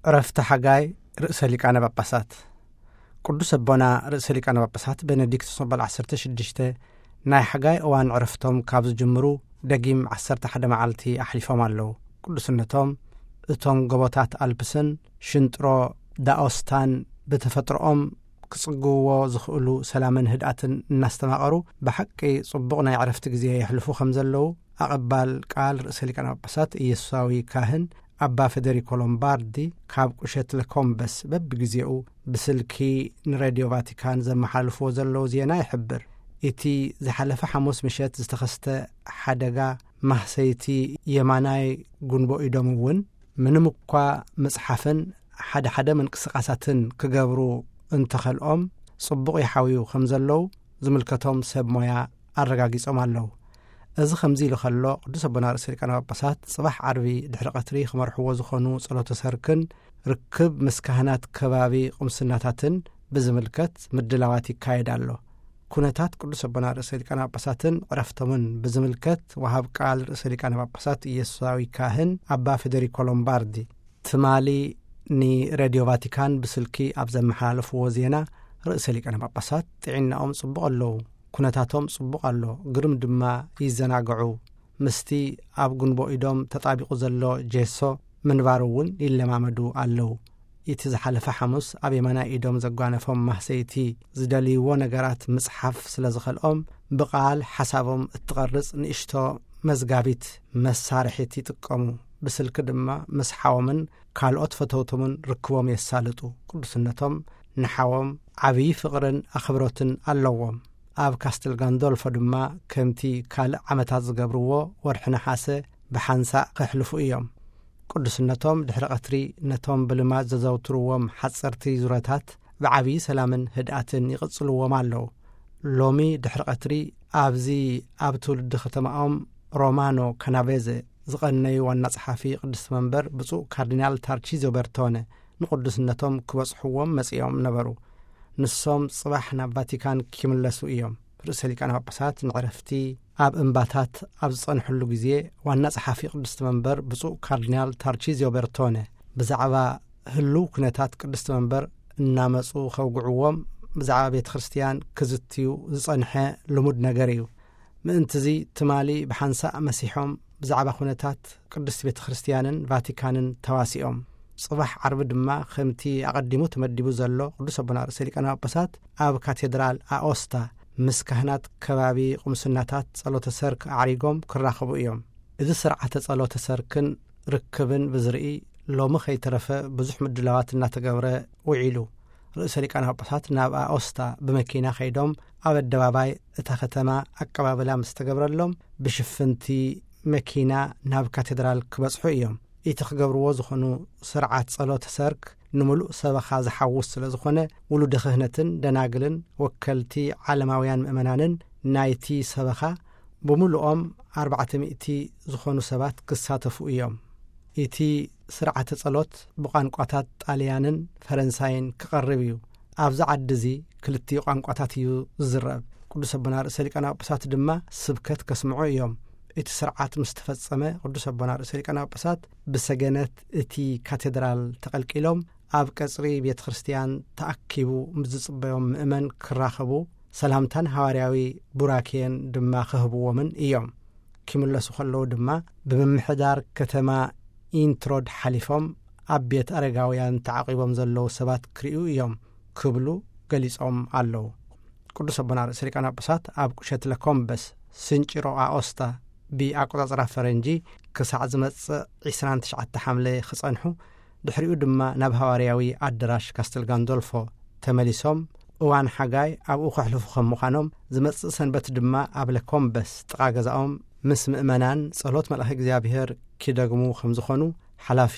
ዕረፍቲ ሓጋይ ርእሰ ሊቃነ ጳጳሳት። ቅዱስ ኣቦና ርእሰ ሊቃነ ጳጳሳት ቤኔዲክቶስ መበል ዓሰርተ ሽዱሽተ ናይ ሓጋይ እዋን ዕረፍቶም ካብ ዝጅምሩ ደጊም ዓሰርተ ሓደ መዓልቲ ኣሕሊፎም ኣለዉ። ቅዱስነቶም እቶም ጎቦታት ኣልፕስን ሽንጥሮ ዳኦስታን ብተፈጥሮኦም ክጽግውዎ ዝኽእሉ ሰላምን ህድኣትን እናስተማቐሩ ብሓቂ ጽቡቕ ናይ ዕረፍቲ ግዜ የሕልፉ ከም ዘለዉ ኣቐባል ቃል ርእሰ ሊቃነ ጳጳሳት ኢየሱሳዊ ካህን ኣባ ፌደሪኮ ሎምባርዲ ካብ ቁሸት ለኮምበስ በብግዜኡ ብስልኪ ንሬድዮ ቫቲካን ዘመሓልፍዎ ዘለዉ ዜና ይሕብር። እቲ ዝሓለፈ ሓሙስ ምሸት ዝተኸስተ ሓደጋ ማህሰይቲ የማናይ ጉንቦ ኢዶም እውን ምንም እኳ ምጽሓፍን ሓደ ሓደ ምንቅስቓሳትን ክገብሩ እንተኸልኦም ጽቡቕ ይሓውዩ ከም ዘለዉ ዝምልከቶም ሰብ ሞያ ኣረጋጊጾም ኣለዉ። እዚ ከምዚ ኢሉ ከሎ ቅዱስ ኣቦና ርእሰ ሊቃነ ጳጳሳት ጽባሕ ዓርቢ ድሕሪ ቀትሪ ክመርሕዎ ዝኾኑ ጸሎተ ሰርክን ርክብ ምስ ካህናት ከባቢ ቁምስናታትን ብዝምልከት ምድላዋት ይካየድ ኣሎ። ኩነታት ቅዱስ ኣቦና ርእሰ ሊቃነ ጳጳሳትን ዕረፍቶምን ብዝምልከት ወሃብ ቃል ርእሰ ሊቃነ ጳጳሳት ኢየሱሳዊ ካህን ኣባ ፌደሪኮ ሎምባርዲ ትማሊ ንሬድዮ ቫቲካን ብስልኪ ኣብ ዘመሓላለፍዎ ዜና ርእሰ ሊቃነ ጳጳሳት ጥዕናኦም ጽቡቕ ኣለዉ፣ ኩነታቶም ጽቡቕ ኣሎ፣ ግርም ድማ ይዘናግዑ፣ ምስቲ ኣብ ጉንቦ ኢዶም ተጣቢቑ ዘሎ ጄሶ ምንባር እውን ይለማመዱ ኣለዉ። እቲ ዝሓለፈ ሓሙስ ኣብ የማናይ ኢዶም ዘጓነፎም ማህሰይቲ ዝደልይዎ ነገራት ምጽሓፍ ስለ ዝኸልኦም ብቓል ሓሳቦም እትቐርጽ ንእሽቶ መዝጋቢት መሳርሒት ይጥቀሙ። ብስልኪ ድማ ምስ ሓዎምን ካልኦት ፈተውቶምን ርክቦም የሳልጡ። ቅዱስነቶም ንሓዎም ዓብዪ ፍቕርን ኣኽብሮትን ኣለዎም። ኣብ ካስተል ጋንዶልፎ ድማ ከምቲ ካልእ ዓመታት ዝገብርዎ ወርሒ ነሓሰ ብሓንሳእ ከሕልፉ እዮም። ቅዱስነቶም ድሕሪ ቀትሪ ነቶም ብልማድ ዘዘውትርዎም ሓጸርቲ ዙረታት ብዓብዪ ሰላምን ህድኣትን ይቕጽልዎም ኣለዉ። ሎሚ ድሕሪ ቀትሪ ኣብዚ ኣብ ትውልዲ ከተማኦም ሮማኖ ካናቬዘ ዝቐነዩ ዋና ጸሓፊ ቅድስቲ መንበር ብፁዕ ካርዲናል ታርቺዞ በርቶነ ንቅዱስነቶም ክበጽሕዎም መጺኦም ነበሩ። ንሶም ጽባሕ ናብ ቫቲካን ክምለሱ እዮም። ርእሰ ሊቃነ ጳጳሳት ንዕረፍቲ ኣብ እምባታት ኣብ ዝጸንሕሉ ግዜ ዋና ጸሓፊ ቅድስቲ መንበር ብፁዕ ካርዲናል ታርቺዚዮ በርቶነ ብዛዕባ ህሉው ኩነታት ቅድስቲ መንበር እናመጹ ከውግዕዎም ብዛዕባ ቤተ ክርስቲያን ክዝትዩ ዝጸንሐ ልሙድ ነገር እዩ። ምእንትዚ ትማሊ ብሓንሳእ መሲሖም ብዛዕባ ኩነታት ቅድስቲ ቤተ ክርስቲያንን ቫቲካንን ተዋሲኦም። ጽባሕ ዓርቢ ድማ ከምቲ ኣቐዲሙ ተመዲቡ ዘሎ ቅዱስ ኣቦና ርእሰ ሊቃነ ጳጳሳት ኣብ ካቴድራል ኣኦስታ ምስ ካህናት ከባቢ ቁምስናታት ጸሎተ ሰርክ ኣዕሪጎም ክራኸቡ እዮም። እዚ ስርዓተ ጸሎተ ሰርክን ርክብን ብዝርኢ ሎሚ ከይተረፈ ብዙሕ ምድላዋት እናተገብረ ውዒሉ። ርእሰ ሊቃነ ጳጳሳት ናብ ኣኦስታ ብመኪና ከይዶም ኣብ ኣደባባይ እታ ከተማ ኣቀባብላ ምስ ተገብረሎም ብሽፍንቲ መኪና ናብ ካቴድራል ክበጽሑ እዮም። እቲ ክገብርዎ ዝኾኑ ስርዓት ጸሎተ ሰርክ ንምሉእ ሰበኻ ዝሓውስ ስለ ዝኾነ ውሉደ ክህነትን ደናግልን ወከልቲ ዓለማውያን ምእመናንን ናይቲ ሰበኻ ብምሉኦም ኣርባዕተ ሚእቲ ዝኾኑ ሰባት ክሳተፉ እዮም። እቲ ስርዓተ ጸሎት ብቋንቋታት ጣልያንን ፈረንሳይን ክቐርብ እዩ። ኣብዚ ዓዲ እዚ ክልቲኡ ቋንቋታት እዩ ዝዝረብ። ቅዱስ ኣቦና ርእሰ ሊቃነ ጳጳሳት ድማ ስብከት ከስምዑ እዮም። እቲ ስርዓት ምስ ተፈጸመ ቅዱስ ኣቦና ርእሰ ሊቃነ ጳጳሳት ብሰገነት እቲ ካቴድራል ተቐልቂሎም ኣብ ቀጽሪ ቤተ ክርስቲያን ተኣኪቡ ምስ ዝጽበዮም ምእመን ክራኸቡ ሰላምታን ሃዋርያዊ ቡራኬን ድማ ክህብዎምን እዮም። ክምለሱ ከለዉ ድማ ብምምሕዳር ከተማ ኢንትሮድ ሓሊፎም ኣብ ቤት ኣረጋውያን ተዓቂቦም ዘለዉ ሰባት ክርእዩ እዮም ክብሉ ገሊጾም ኣለዉ። ቅዱስ ኣቦና ርእሰ ሊቃነ ጳጳሳት ኣብ ቁሸት ለኮምበስ ስንጭሮ ኣኦስታ ብኣቆጻጽራ ፈረንጂ ክሳዕ ዝመጽእ ዕስራን ትሽዓተ ሓምለ ክጸንሑ፣ ድሕሪኡ ድማ ናብ ሃዋርያዊ ኣደራሽ ካስተል ጋንዶልፎ ተመሊሶም እዋን ሓጋይ ኣብኡ ከሕልፉ ከም ምዃኖም፣ ዝመጽእ ሰንበት ድማ ኣብ ለኮምበስ ጥቓ ገዛኦም ምስ ምእመናን ጸሎት መልኣኸ እግዚኣብሔር ኪደግሙ ከም ዝኾኑ ሓላፊ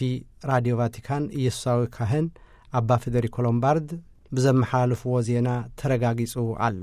ራድዮ ቫቲካን ኢየሱሳዊ ካህን ኣባ ፌደሪኮ ሎምባርድ ብዘመሓላለፍዎ ዜና ተረጋጊጹ ኣሎ።